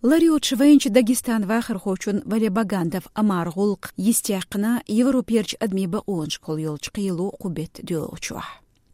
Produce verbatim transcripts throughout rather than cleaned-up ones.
Лар йоцуш вайначу Дагестан вахархочун Вале Багандов Омара гӀуллакх йистехкна Европерчу адамийн бакъонашкахула йолчу кхело кху беттан доьлхучохь.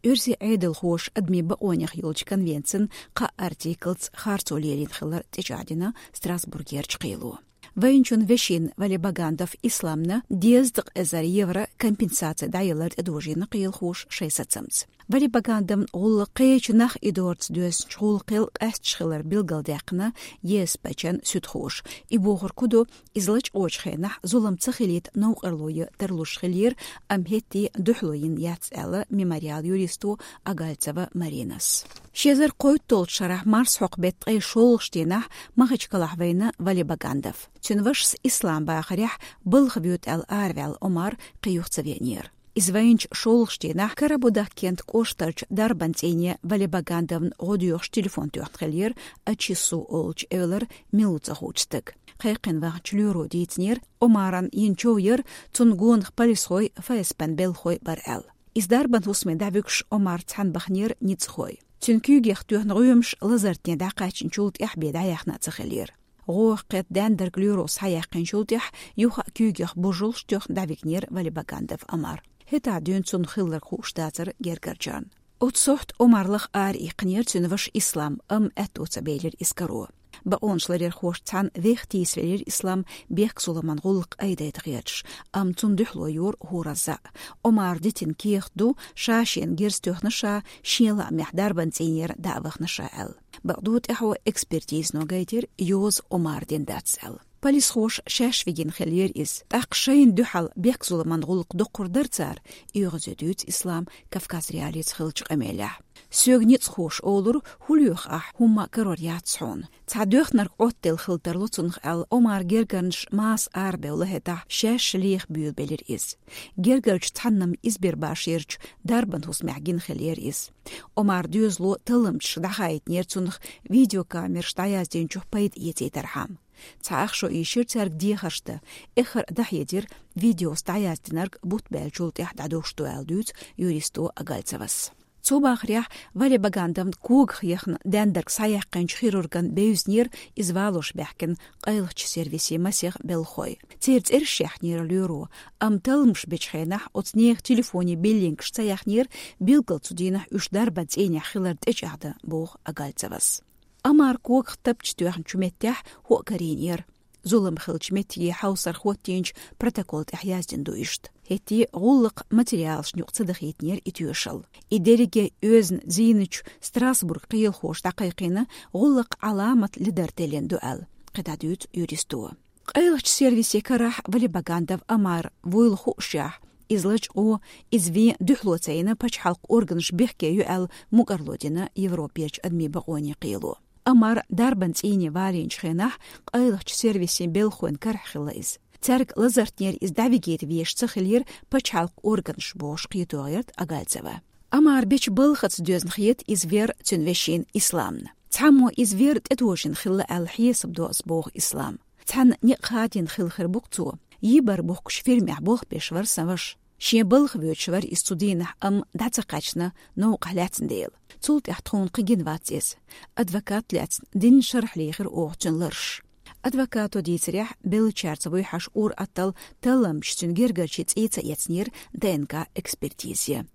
Оьрсийн Ӏедалхоша адамийн бакъонех йолчу конвенцин кхаа артиклца харцо лелийна хилар тӀечӀагӀдина Страсбургерчу кхело. Вайначун вешин Вале Багандов Исламна дезткъа эзар евро компенсаци дӀаялар тӀедожийна кхелахоша шайн сацамца. Вале Багандовн гӀуллакх кхечу нах идорца доьзначу гӀуллакхел къаьсташ хилар билгалдаьккхина ЕСПЧ-н суьдхоша. И бохург хӀун ду, иза лачкъочу хенахь зулам ца хилийта новкъарло ян тарлуш хиллера, амма хӀетте дуьхьало йина яц аьлла Мемориалан юристо Агальцева Маринас. Ши эзар кхойтталгӀачу шарахь марсхьокху беттан ткъе шолгӀачу дийнахь Махачкалахь вайна Вале Багандов. Цуьнан вашас Ислам бахарехь балха воьду аьлла араваьлла Омар кхин юха ца веанера. Иза вайначу шолгӀачу дийнахь Карабудахкент кӀоштарчу дарбан цӀийне Вале Багандовна гӀо доьхуш телефон тоьхна хиллера, Ачису олучу эвлара мила ву ца хуучу стага. Кхайкхина вахначу лоьро дийцинера, Омарна йина чов яра, цунна гонах полисхой, ФСБ-н белхахой бара аьлла. Иза дарбан хӀусаме дӀавуьгуш Омар цхьаьна баханера ницкъахой. Цуьнан куьйгех тоьхна гӀоьмаш лазартне дӀакхаьчначул тӀаьхьа бен дӀаяьхна а ца хиллера. ГӀо кхетта даьннарг лоьро схьаяьккхинчул тӀаьхьа юха а куьйгех божаллаш тоьхна дӀавигнера Вале Багандов Омар. ХӀетахь дуьйна цунна хилларг хууш дацара гергарчарна. Оцу сохьта Омар лаха ара иккхинера цуьнан ваша Ислам, амма аьтто ца белира иза каро. Бакъонашларъярхошца цхьаьна вех тийсавелира Ислам бехк-зуламан гӀуллакх айдайта хеташ, амма цунна дуьхьало йора хӀоразза а. Омара дитина кехат ду, ша шена герз тоьхна ша, шен лаамехь дарбан цӀийнера дӀа а вахана ша аьлла. Бакъду, тӀаьхьо экспертизано гайтира, йоза Омара дина дац аьлла. Полисхоша шаьш вигина хиллера иза, тӀаккха шайна дуьхьал бехк-зуламан гӀуллакх доккхур дара цара, оьгӀазе дуьйцу Ислам Кавказ.Реалиица хиллачу къамелехь. Соьга ницкъахоша олура, хӀун лоьху ахь, хӀумма а карор яц хьуна. Цхьа доьхнарг Ӏоттаделла хила тарло цунах аьлла, Омара гергарнаш маса арабевлла хӀетахь, шаьш леха буьйлабелира иза. Гергарчу цхьанна-м Избербашерчу дарбан хӀусамехь гина хиллера иза. Омара доьзало талламчашка дӀахаийтинера цунах видеокамераш дӀаяздинчух пайда эцийтархьама. Цхьа ах шо ийшира цаьрга дехарш дан, эххар а дӀахьедира, видеоца дӀаяздинарг бутт баьллачул тӀаьхьа дӀадовш ду аьлла дуьйцу юристо Агальцевас. Цу бахарехь Вале Багандовн когах яхна даьннарг схьаяьккхинчу хирурган бевзинера иза валош баьхкина къайлахчу сервисийн масех белхахой. Церан цӀераш яьхнера лоьро, амма талламаш бечу хенахь оцу нехан телефонийн биллингаш ца яьхнера, билггал цу дийнахь уьш дарбан цӀийнехь хилар тӀечӀагӀдан, боху Агальцевас. Омар когах тапча тоьхначу меттехь хӀоъ карийнера. Зулам хиллачу меттиге хьовсарх хӀоттийначу протокол тӀехь яздина ду иштта. ХӀетте гӀуллакхан материалашна юкъа ца дахийтинера и тоьшалла. И дерриге оьзна зийначу Страсбург кхелахоша дӀакхайкхийна, гӀуллакхан Ӏаламат ледара теллина ду аьлла, кхидӀа дуьйцу юристо. Къайлахчу сервисийн карахь Вале Багандов Омар вуйла хуушехь, иза лачкъо, иза вен дуьхьало ца йина пачхьалкхан органаш бехке ю аьлла мукӀарло дина Европерчу адамийн бакъонийн кхело. Омар дарбан цӀийне валийначу хенахь къайлахчу сервисийн белхахойн карахь хилла иза. Цаьрга лазартнера иза дӀавигийта везаш ца хиллера пачхьалкхан органаш, бохуш кхетош яра Агальцева. Омар бечу балхаца доьзна хета иза вер цуьнан вешина Исламна. Цхьаммо иза вер тӀетожийна хилла аьлла хьесап до ас, боху Ислам. Цхьана некъ хадийна хилла хир бу-кх цо. Йибар бухкучу фирмехь болх беш вара сан ваша. Шен балха воьдуш вара иза цу дийнахь, амма дӀа ца кхаьчна, новкъахь лаьцна дела. Цул тӀаьхьа тхуна кхин гина вац иза. Адвокат лаьцна динна шарахь лехира оха цуьнан ларш. Адвокато дийцарехь, беллачаьрца вуй хьаьжа ур-атталла талламчаша цуьнан гергарчийн цӀий ца эцнера ДНК-экспертизе.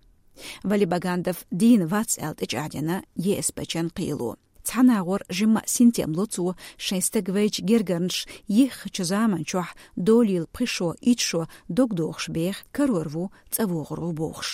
Вале Багандов дийна вац аьлла тӀечӀагӀдина ЕСПЧ-н кхело. Цхьана агӀор жимма а синтем ло цо, шайн стаг вайчу гергарнаш йиххачу заманчохь долийла пхи шо, итт шо дог дохуш беха, карор ву, цӀа вогӀур ву бохуш.